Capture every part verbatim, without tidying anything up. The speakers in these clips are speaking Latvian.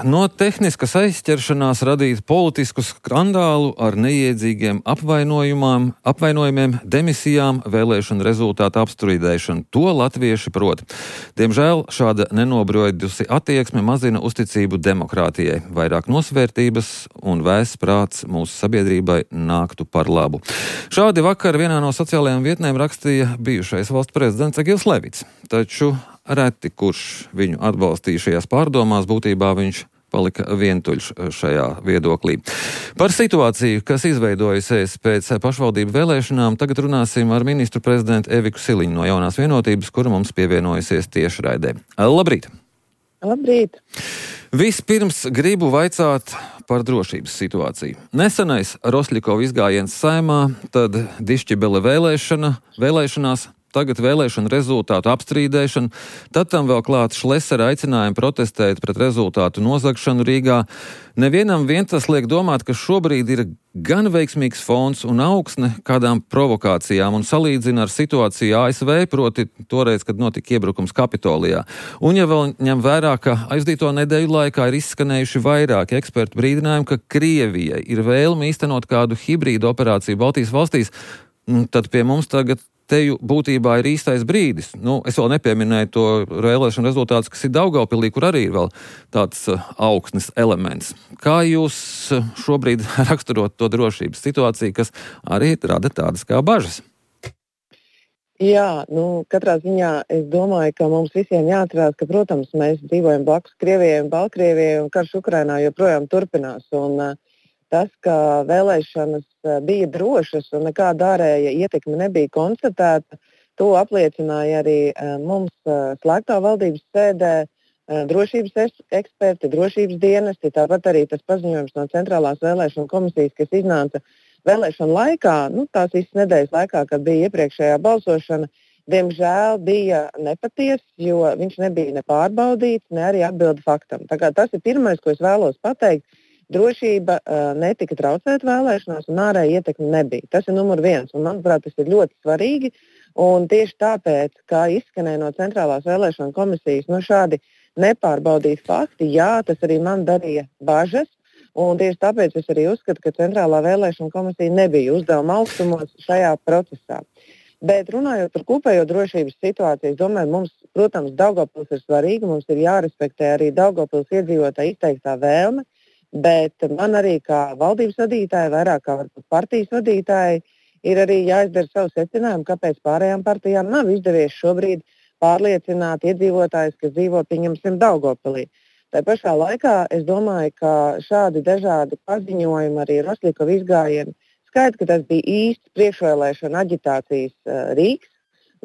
No tehniskas aizķeršanās radīt politisku skandālu ar neiedzīgiem apvainojumiem, demisijām, vēlēšanu rezultātu apstrīdēšanu. To latvieši prot. Diemžēl šāda nenobrojdusi attieksme mazina uzticību demokrātijai. Vairāk nosvērtības un vēss prāts mūsu sabiedrībai nāktu par labu. Šādi vakar vienā no sociālajām vietnēm rakstīja bijušais valsts prezidents Egils Levits. Taču reti, kurš viņu atbalstīja šajās pārdomās, būtībā viņš palika vientuļš šajā viedoklī. Par situāciju, kas izveidojusies pēc pašvaldību vēlēšanām, tagad runāsim ar ministru prezidentu Eviku Siliņu no Jaunās vienotības, kura mums pievienojusies tiešraidē. Labrīt! Labrīt! Vispirms gribu vaicāt par drošības situāciju. Nesenais Rosļikova izgājiens Saeimā, tad Dišķibele vēlēšana, vēlēšanās, tagad vēlēšanu rezultātu apstrīdēšana, tad tam vēl klāt Šlesera aicinājumi protestēt pret rezultātu nozagšanu Rīgā. Nevienam vien tas liek domāt, ka šobrīd ir gan veiksmīgs fons un augsne kādām provokācijām un salīdzina ar situāciju A S V, proti toreiz, kad notika iebrukums Kapitolijā. Un ja vēl ņem vērā, ka aizdīto nedēļu laikā ir izskanējuši vairāki ekspertu brīdinājumi, ka Krievijai ir vēlme īstenot kādu hibrīdu operāciju Baltijas valstīs, tad pie mums tagad teju būtībā ir īstais brīdis. Nu, es vēl nepieminēju to vēlēšanu rezultātus, kas ir Daugavpilī, kur arī ir vēl tāds uh, augsnes elements. Kā jūs uh, šobrīd raksturot to drošības situāciju, kas arī rada tādas kā bažas? Jā, nu, katrā ziņā es domāju, ka mums visiem jāatcerās, ka, protams, mēs dzīvojam blakus Krievijai un Baltkrievijai, un karš Ukrainā joprojām turpinās. Un, uh, tas, ka vēlēšanas bija drošas un nekāda ārēja ietekme nebija konstatēta, to apliecināja arī mums slēgtā valdības sēdē drošības eksperti, drošības dienesti, tāpat arī tas paziņojums no Centrālās vēlēšanu komisijas, kas iznāca vēlēšanu laikā, nu, tās visas nedēļas laikā, kad bija iepriekšējā balsošana, diemžēl bija nepatiess, jo viņš nebija ne pārbaudīts, ne arī atbildi faktam. Tā kā tas ir pirmais, ko es vēlos pateikt. Drošība uh, netika traucēta vēlēšanās un ārēja ietekme nebija. Tas ir numur viens, un manuprāt, tas ir ļoti svarīgi. Un tieši tāpēc, kā izskanēja no Centrālās vēlēšanu komisijas, no šādi nepārbaudīti fakti, jā, tas arī man darīja bažas. Un tieši tāpēc es arī uzskatu, ka Centrālā vēlēšanu komisija nebija uzdevuma augstumos šajā procesā. Bet runājot par kopējo drošības situāciju, es domāju, mums, protams, Daugavpils ir svarīgi, mums ir jārespektē arī Daugavpils iedzīvotāju izteiktā vēlme. Bet man arī kā valdības vadītāji, vairāk kā varbūt partijas vadītāji, ir arī jāizdara savu secinājumu, kāpēc pārējām partijām nav izdevies šobrīd pārliecināt iedzīvotājus, kas dzīvo, pieņemsim, Daugavpilī. Tā pašā laikā es domāju, ka šādi dažādi paziņojumi arī Rosļikova izgājieni skaidrs, ka tas bija īsts priekšvēlēšana aģitācijas uh, rīks,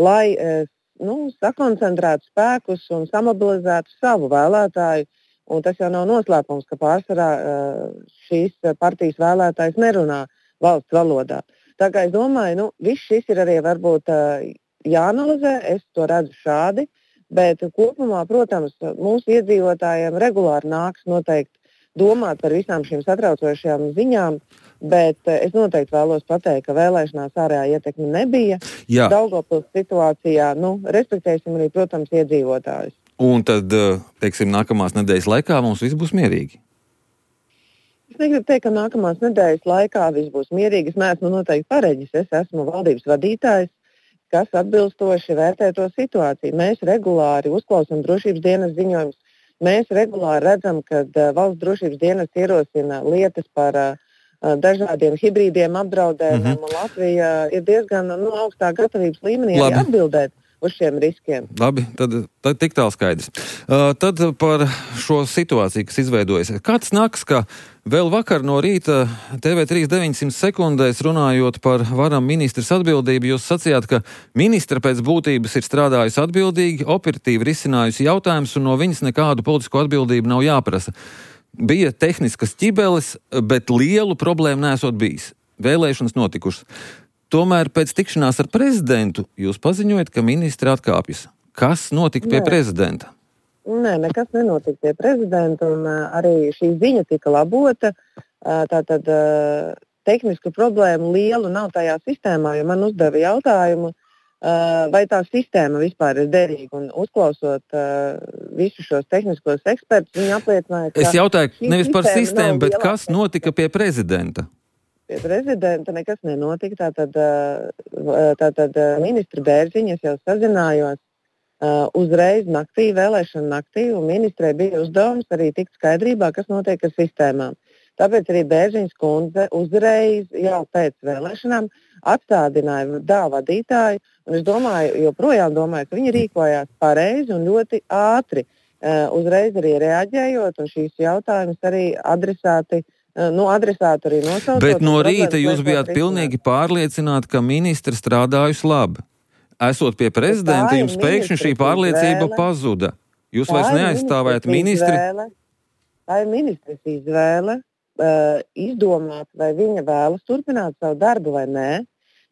lai uh, nu, sakoncentrētu spēkus un samobilizētu savu vēlētāju. Un tas jau nav noslēpums, ka pārsvarā šīs partijas vēlētājs nerunā valsts valodā. Tā kā es domāju, nu, viss šis ir arī varbūt jāanalizē, es to redzu šādi, bet kopumā, protams, mūsu iedzīvotājiem regulāri nāks noteikti domāt par visām šīm satraucošajām ziņām, bet es noteikti vēlos pateikt, ka vēlēšanās ārējā ietekme nebija. Jā. Daugavpils situācijā, nu, respektēsim arī, protams, iedzīvotājus. Un tad, teiksim, nākamās nedēļas laikā mums viss būs mierīgi? Es negribu teikt, ka nākamās nedēļas laikā viss būs mierīgi. Es neesmu noteikti pareģis. Es esmu valdības vadītājs, kas atbilstoši vērtē to situāciju. Mēs regulāri uzklausām drošības dienas ziņojumus. Mēs regulāri redzam, ka valsts drošības dienas ierosina lietas par uh, dažādiem hibrīdiem apdraudējumiem, mm-hmm. un Latvija ir diezgan nu, augstā gatavības līmenī arī atbildēt uz šiem riskiem. Labi, tad, tad tik tālu skaidrs. Uh, tad par šo situāciju, kas izveidojas. Kā tas nāks, ka vēl vakar no rīta T V trīs deviņsimt sekundēs runājot par varam ministras atbildību, jūs sacījāt, ka ministra pēc būtības ir strādājusi atbildīgi, operatīvi risinājusi jautājumus un no viņas nekādu politisko atbildību nav jāprasa. Bija tehniskas ķibeles, bet lielu problēmu nesot bijis. Vēlēšanas notikušas. Tomēr pēc tikšanās ar prezidentu jūs paziņojat, ka ministri atkāpjas. Kas notika pie Nē. prezidenta? Nē, nekas nenotika pie prezidenta, un uh, arī šī ziņa tika labota. Uh, tātad uh, tehnisku problēmu lielu nav tajā sistēmā, jo man uzdeva jautājumu, vai tā sistēma vispār ir derīga. Un uzklausot uh, visus šos tehniskos ekspertus, viņi apliecināja, ka es jautāju nevis par sistēmu, bet lielāka. Kas notika pie prezidenta? Pie prezidenta nekas nenotika. Tātad, tātad ministra Bērziņa, es jau sazinājos uh, uzreiz naktī, vēlēšana naktī, un ministrei bija uzdevums arī tikt skaidrībā, kas notiek ar sistēmām. Tāpēc arī Bērziņas kundze uzreiz jau pēc vēlēšanām atstādināja D A vadītāju, un es domāju, joprojām domāju, ka viņi rīkojās pareizi un ļoti ātri, uh, uzreiz arī reaģējot, un šīs jautājumas arī adresāti, uh, nu, adresāti arī nosaucot. Bet no rīta jūs bijāt pilnīgi pārliecināti, ka ministra strādājusi labi. Esot pie prezidenta, jums pēkšņi šī pārliecība izvēle. pazuda. Jūs vairs neaizstāvējat ministri. Izvēle. Tā ir ministres izvēle. Uh, izdomāt, vai viņa vēlas turpināt savu darbu vai nē.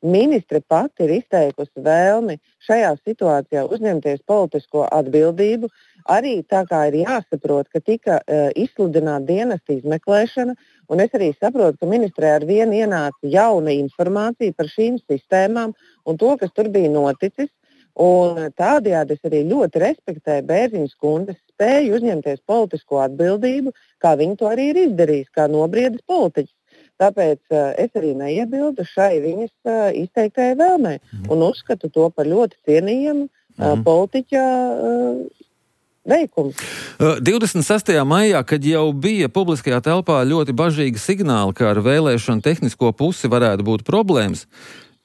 Ministre pati ir izteikusi vēlmi šajā situācijā uzņemties politisko atbildību. Arī tā kā ir jāsaprot, ka tika uh, izsludināta dienesta izmeklēšana, un es arī saprotu, ka ministrē ar vienu ienāca jauna informācija par šīm sistēmām un to, kas tur bija noticis. Un tādējādi es arī ļoti respektēju Bērziņas kundzes spēju uzņemties politisko atbildību, kā viņa to arī ir izdarījis, kā nobriedis politiķis. Tāpēc uh, es arī neiebildu šai viņas uh, izteiktajai vēlmei un uzskatu to par ļoti cienījamu uh, politiķa uh, veikumu. divdesmit sestajā maijā, kad jau bija publiskajā telpā ļoti bažīgi signāli, ka ar vēlēšanu tehnisko pusi varētu būt problēmas,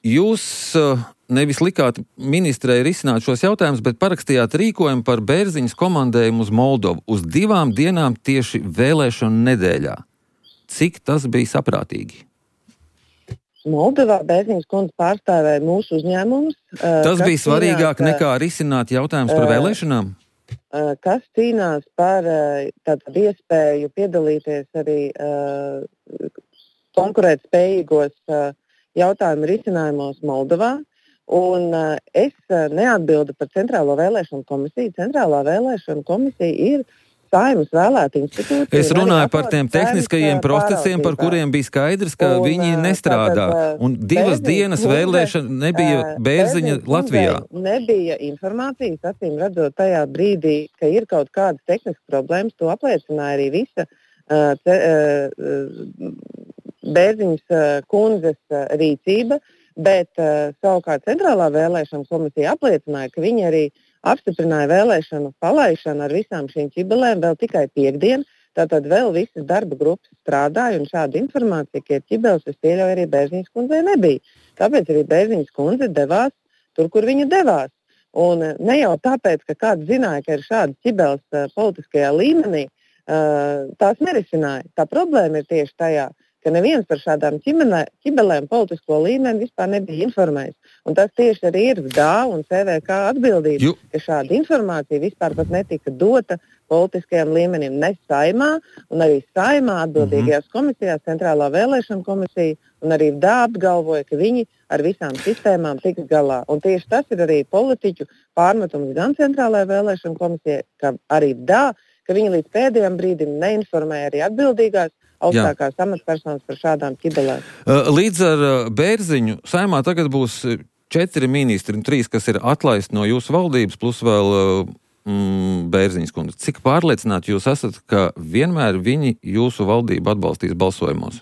jūs uh, nevis likāt ministrei risināt šos jautājumus, bet parakstījāt rīkojumu par Bērziņas komandējumu uz Moldovu uz divām dienām tieši vēlēšanu nedēļā. Cik tas bija saprātīgi? Moldovā Bērziņas kundze pārstāvēja mūsu uzņēmumus. Tas bija svarīgāk cīnās, nekā risināt jautājumus par vēlēšanām? Kas cīnās par tātad iespēju piedalīties arī konkurētspējīgos jautājumu risinājumos Moldovā. Un uh, es uh, neatbildu par Centrālo vēlēšanu komisiju. Centrālā vēlēšana komisija ir Saeimas vēlēta institūcija. Es runāju par tiem tehniskajiem procesiem, par kuriem bija skaidrs, ka un, viņi nestrādā. Tātad, un divas Bērziņas dienas kundze, vēlēšana nebija Bērziņa Latvijā. Nebija informācijas, acīm redzot tajā brīdī, ka ir kaut kādas tehniskas problēmas. To apliecināja arī visa uh, te, uh, Bērziņas uh, kundzes uh, rīcība. Bet uh, savukārt Centrālā vēlēšana komisija apliecināja, ka viņi arī apstiprināja vēlēšanu palaišanu ar visām šīm ķibelēm vēl tikai piekdien. Tātad vēl visas darba grupas strādāja un šāda informācija, ka ir ķibeles, es pieļauju, arī Bērziņas kundzei nebija. Tāpēc arī Bērziņas kundze devās tur, kur viņa devās. Un uh, ne jau tāpēc, ka kāds zināja, ka ir šādas ķibeles uh, politiskajā līmenī, uh, tās nerisināja. Tā problēma ir tieši tajā, ka neviens par šādām ķibelēm politisko līmeni vispār nebija informējis. Un tas tieši arī ir D A un C V K atbildība, Ju. ka šāda informācija vispār pat netika dota politiskajam līmenim ne Saeimā, un arī Saeimā atbildīgajās mm-hmm. komisijās, Centrālā vēlēšana komisija, un arī D A apgalvoja, ka viņi ar visām sistēmām tiks galā. Un tieši tas ir arī politiķu pārmetums gan Centrālajai vēlēšana komisijai, kā arī D A, ka viņi līdz pēdējiem brīdim neinformēja arī atbildīgās augstākās amatpersonas par šādām ķibelēm. Līdz ar Bērziņu Saeimā tagad būs četri ministri un trīs, kas ir atlaisti no jūsu valdības, plus vēl mm, Bērziņas kundze. Cik pārliecināti jūs esat, ka vienmēr viņi jūsu valdību atbalstīs balsojumos?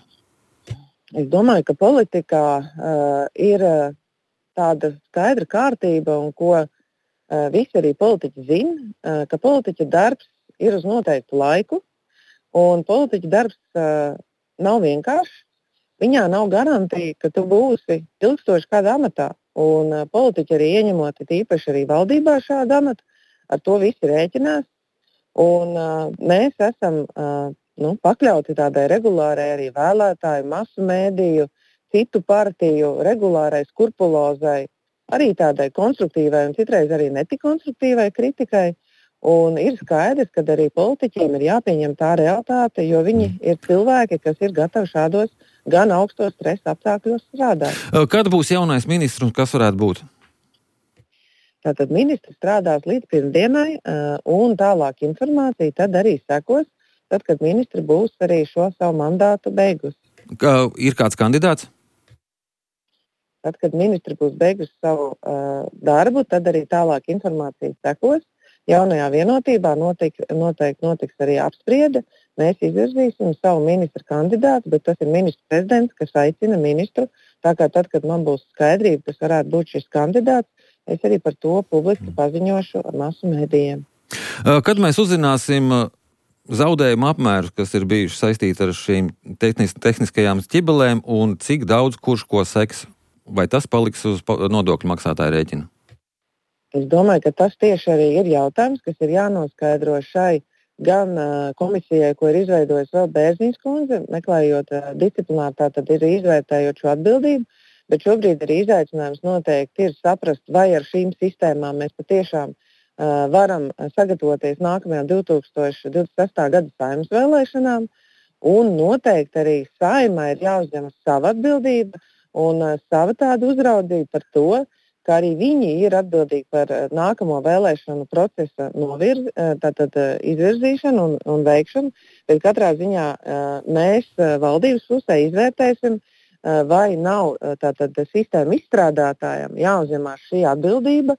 Es domāju, ka politikā uh, ir uh, tāda skaidra kārtība, un ko uh, visi arī politiķi zina, uh, ka politiķa darbs ir uz noteiktu laiku. Un politiķa darbs uh, nav vienkāršs. Viņā nav garantija, ka tu būsi ilgstoši kādā amatā. Un uh, politiķi arī ieņemot īpaši arī valdībā šādu amatu, ar to visi rēķinās. Un uh, mēs esam uh, nu, pakļauti tādai regulārai arī vēlētāju, masu mēdīju, citu partiju regulārai skrupulozai, arī tādai konstruktīvai un citreiz arī netik konstruktīvai kritikai. Un ir skaidrs, ka arī politiķiem ir jāpieņem tā realitāte, jo viņi ir cilvēki, kas ir gatavi šādos gan augstos stresa apstākļos strādāt. Kad būs jaunais ministrs un kas varētu būt? Tātad ministrs strādās līdz pirmdienai, un tālāk informācija tad arī sekos, tad, kad ministri būs arī šo savu mandātu beigusi. Kā, ir kāds kandidāts? Tad, kad ministri būs beigusi savu uh, darbu, tad arī tālāk informācija sekos. Jaunajā vienotībā noteikti noteik, notiks arī apspriede. Mēs izvirzīsim savu ministra kandidātu, bet tas ir ministrs prezidents, kas aicina ministru. Tā kā tad, kad man būs skaidrība, kas varētu būt šis kandidāts, es arī par to publiski paziņošu masu mēdījiem. Kad mēs uzzināsim zaudējumu apmērus, kas ir bijuši saistīti ar šīm tehnis, tehniskajām ķibelēm un cik daudz kurš ko seks, vai tas paliks uz nodokļu maksātāja rēķina? Es domāju, ka tas tieši arī ir jautājums, kas ir jānoskaidro šai gan uh, komisijai, ko ir izveidojusi vēl Bērziņas kundze, meklējot uh, disciplināru, tātad ir izvērtējot šo atbildību, bet šobrīd arī izaicinājums noteikti ir saprast, vai ar šīm sistēmām mēs patiešām uh, varam sagatavoties nākamajām divi tūkstoši divdesmit sestā gada Saeimas vēlēšanām, un noteikti arī Saeimai ir jāuzņemas sava atbildība un uh, sava tāda uzraudzība par to, ka arī viņi ir atbildīgi par nākamo vēlēšanu procesa novirz, tātad izvirzīšanu un, un veikšanu, bet katrā ziņā mēs valdības pusē izvērtēsim, vai nav tātad sistēma izstrādātājiem jāuzņemās šī atbildība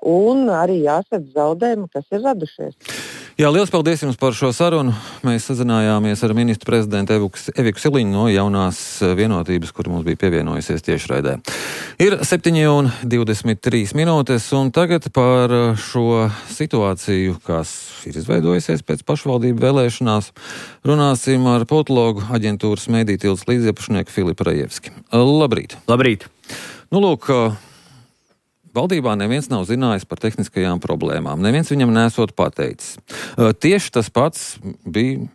un arī jāsadz zaudējumi, kas ir radušies. Jā, liels paldies jums par šo sarunu. Mēs sazinājāmies ar ministru prezidentu Eviku Siliņu no jaunās vienotības, kur mums bija pievienojusies tiešraidē. Ir septiņi un divdesmit trīs minūtes, un tagad par šo situāciju, kas ir izveidojusies pēc pašvaldību vēlēšanās, runāsim ar politologu aģentūras Mēdī tildes līdziepašnieku Filipu Rajevski. Labrīt! Labrīt! Nu, lūk, valdībā neviens nav zinājis par tehniskajām problēmām. Neviens viņam nesot pateicis. Tieši tas pats bija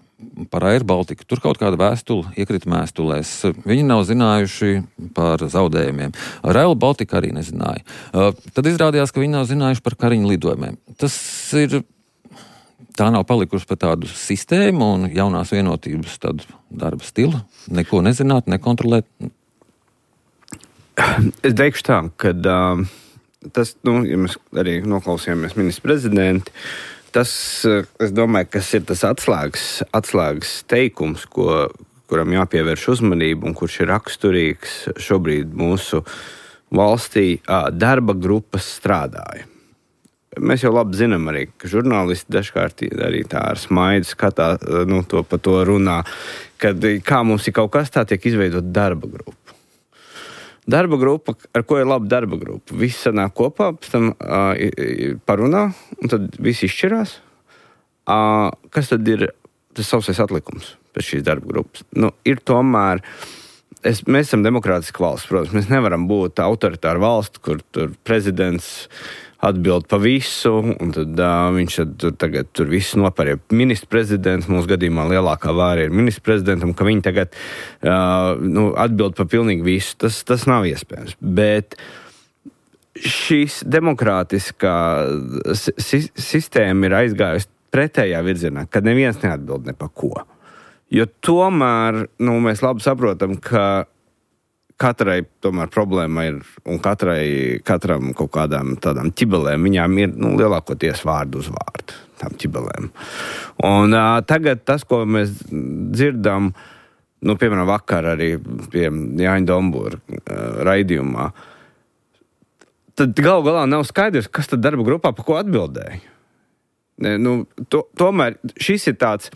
par Air Baltiku. Tur kaut kāda vēstule iekrita mēstulēs. Viņi nav zinājuši par zaudējumiem. Rail Baltica arī nezināja. Tad izrādījās, ka viņi nav zinājuši par Kariņu lidojumiem. Tas ir, tā nav palikusi par tādu sistēmu un jaunās vienotības tādu darba stilu. Neko nezināt, nekontrolēt. Es teikšu tā, ka uh... Tas, nu, ja mēs arī noklausījāmies ministra prezidenti, tas, es domāju, kas ir tas atslēgas, atslēgas teikums, ko, kuram jāpievērš uzmanību un kurš ir raksturīgs šobrīd mūsu valstī, darba grupas strādāja. Mēs jau labi zinām arī, ka žurnālisti dažkārt arī tā ar smaidu skatā, nu, to pa to runā, kad kā mums ir kaut kas tā tiek izveidot darba grupa. Darba grupa, ar ko ir laba darba grupa? Visi sanāk kopā, pēc tam uh, parunā, un tad visi izšķirās. Uh, kas tad ir tas sausais atlikums pēc šīs darba grupas? Nu, ir tomēr, es, mēs esam demokrātiska valsts, protams, mēs nevaram būt autoritāra valsts, kur tur prezidents atbild pa visu, un tad uh, viņš tad, tur, tagad tur visu nopērja ministra prezidents, mūsu gadījumā lielākā vāra ir ministra prezidentam, ka viņi tagad uh, nu, atbild pa pilnīgi visu. Tas, tas nav iespējams. Bet šīs demokrātiskā si- sistēma ir aizgājusi pretējā virzienā, kad neviens neatbild ne pa ko. Jo tomēr nu, mēs labi saprotam, ka katrai tomēr problēma ir, un katrai, katram kaut kādām tādām ķibelēm, viņām ir nu, lielākoties vārdu uz vārdu, tām ķibelēm. Un uh, tagad tas, ko mēs dzirdam, nu, piemēram, vakar arī pie Jāņa Dombūra uh, raidījumā, tad galu galā nav skaidrs, kas tad darba grupā pa ko atbildēja. Ne, nu, to, tomēr šis ir tāds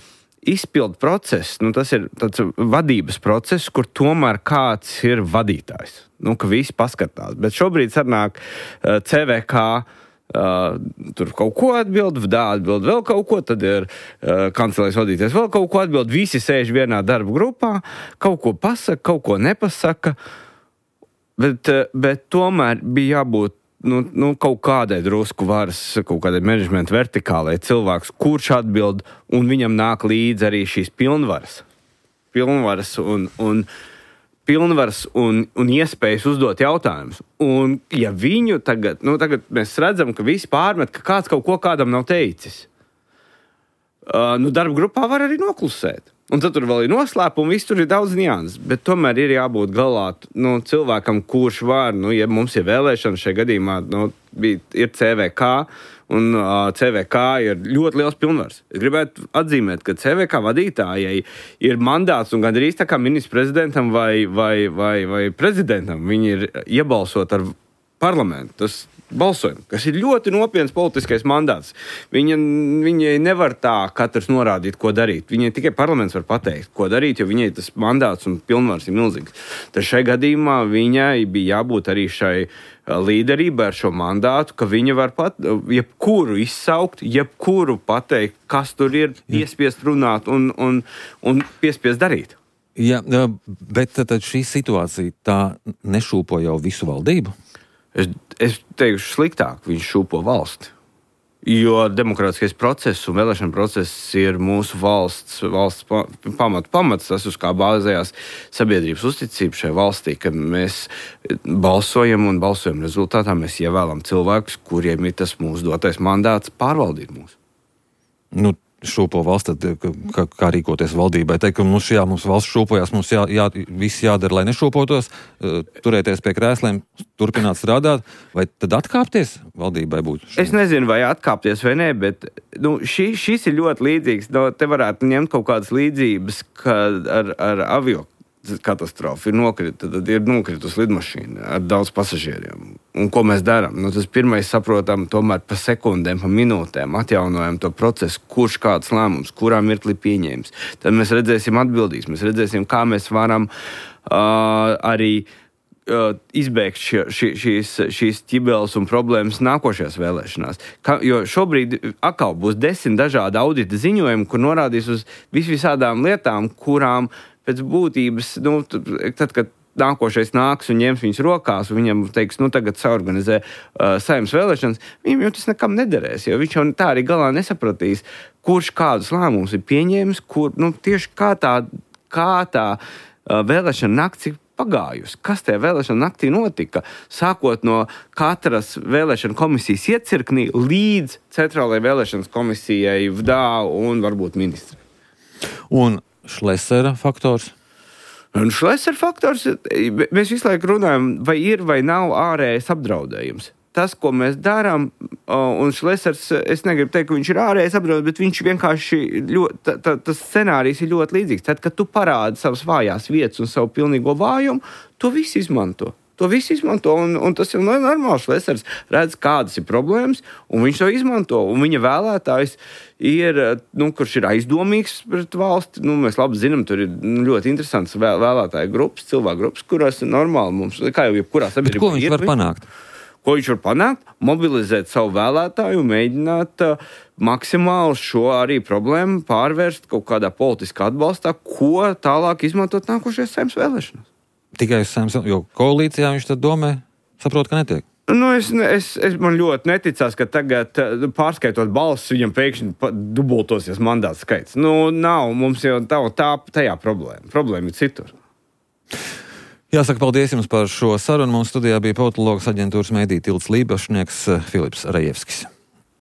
izpildu process, nu, tas ir tāds vadības process, kur tomēr kāds ir vadītājs. Nu, ka visi paskatās. Bet šobrīd sanāk uh, C V K, uh, tur kaut ko atbild, V D A atbild vēl kaut ko, tad ir uh, kancelēs vadītājs vēl kaut ko atbild, visi sēž vienā darba grupā, kaut ko pasaka, kaut ko nepasaka, bet, uh, bet tomēr bija jābūt Nu, nu, kaut kādai drusku varas, kaut kādai menedžmenta vertikālai cilvēks, kurš atbild, un viņam nāk līdzi arī šīs pilnvaras. Pilnvaras un, un, pilnvaras un, un iespējas uzdot jautājumus. Un ja viņu tagad, nu tagad mēs redzam, ka visi pārmet, ka kāds kaut ko kādam nav teicis, uh, nu darba grupā var arī noklusēt. Un tad tur vēl ir noslēpumi, viss tur ir daudz nianses, bet tomēr ir jābūt galā nu, cilvēkam, kurš var, nu, ja mums ir vēlēšana šajā gadījumā, nu, bija, ir C V K, un uh, C V K ir ļoti liels pilnvars. Es gribētu atzīmēt, ka C V K vadītājai ir mandāts un gandrīz tā kā ministra prezidentam vai, vai, vai, vai prezidentam. Viņi ir iebalsot ar parlamentu. Tas balsojumu, kas ir ļoti nopietns politiskais mandāts. Viņa, viņai nevar tā katrs norādīt, ko darīt. Viņai tikai parlaments var pateikt, ko darīt, jo viņai tas mandāts un pilnvars ir milzīgs. Tad šai gadījumā viņai bija jābūt arī šai līderībai ar šo mandātu, ka viņa var pat jebkuru izsaukt, jebkuru pateikt, kas tur ir, piespiest runāt un, un, un piespiest darīt. Jā, bet tad šī situācija tā nešūpo jau visu valdību? Es, es teikšu sliktāk, viņš šūpo valsti. Jo demokrātiskais process un vēlēšana process ir mūsu valsts, valsts pamatu pamats, tas uz kā bāzējās sabiedrības uzticība šai valstī, kad mēs balsojam un balsojam rezultātā mēs ievēlam cilvēkus, kuriem ir tas mūsu dotais mandāts pārvaldīt mūs. Nu, šūpo valsts, tad kā, kā rīkoties valdībai? Teikt, ka mums, jā, mums valsts šūpojās, mums jā, jā, viss jādara, lai nešūpotos, turēties pie krēsliem, turpināt strādāt, vai tad atkāpties valdībai būtu? Es nezinu, vai atkāpties vai nē, bet nu, šī, šis ir ļoti līdzīgs. No, te varētu ņemt kaut kādas līdzības ar, ar avio katastrofu. Ir nokrita, tad ir nokritus lidmašīna ar daudz pasažieriem. Un ko mēs darām? Nu, tas pirmais saprotam tomēr pa sekundēm, pa minūtēm atjaunojam to procesu, kurš kāds lēmums, kurā mirklī pieņēmis. Tad mēs redzēsim atbildības, mēs redzēsim, kā mēs varam uh, arī uh, izbēgt šie, šī, šīs, šīs ķibeles un problēmas nākošajās vēlēšanās. Ka, jo šobrīd atkal būs desmit dažādi audita ziņojumi, kur norādīs uz visvisādām lietām, kurām pēc būtības, nu, tad, kad nākošais nāks un ņems viņas rokās, un viņam teiks, nu, tagad saorganizē uh, Saeimas vēlēšanas, viņam jau tas nekam nederēs, jo viņš jau tā arī galā nesapratīs, kurš kādus lēmumus ir pieņēmis, kur, nu, tieši kā tā, kā tā uh, vēlēšana nakts ir pagājusi. Kas tajā vēlēšana naktī notika? Sākot no katras vēlēšana komisijas iecirknī līdz centrālajai vēlēšanas komisijai V D A un varbūt ministri. Un Šlesera faktors? Un Šlesera faktors, mēs visu laiku runājam, vai ir vai nav ārējais apdraudējums. Tas, ko mēs darām, un Šlesers, es negribu teikt, ka viņš ir ārējais apdraudējums, bet viņš vienkārši, ļoti, tā, tā, tas scenārijs ir ļoti līdzīgs. Tad, kad tu parādi savas vājās vietas un savu pilnīgo vājumu, to viss izmanto. To viss izmanto, un, un tas ir normāls. Šlesers redz, kādas ir problēmas, un viņš to izmanto. Un viņa vēlētājs ir, nu, kurš ir aizdomīgs pret valsti. Nu, mēs labi zinām, tur ir ļoti interesants vēl, vēlētāju grupas, cilvēku grupas, kurās ir normāli mums, kā jau jebkurā sabiedrībā. Ko viņš var panākt? Ko viņš var panākt? Mobilizēt savu vēlētāju un mēģināt uh, maksimāli šo arī problēmu pārvērst kaut kādā politiskā atbalstā, ko tālāk izmantot nākošajās Saeimas vēlēšanās. Tikai uz Saeimas, jo koalīcijā viņš tad domē, saprot, ka netiek. Nu, es, es, es man ļoti neticās, ka tagad pārskaitot balsis, viņam pēkšņi dubultosies mandāts skaits. Nu, nav, mums jau tā, tā tajā problēma. Problēma ir citur. Jāsaka, paldies jums par šo sarunu. Mums studijā bija politologs aģentūras Meidija tilts līpašnieks Filips Rajevskis.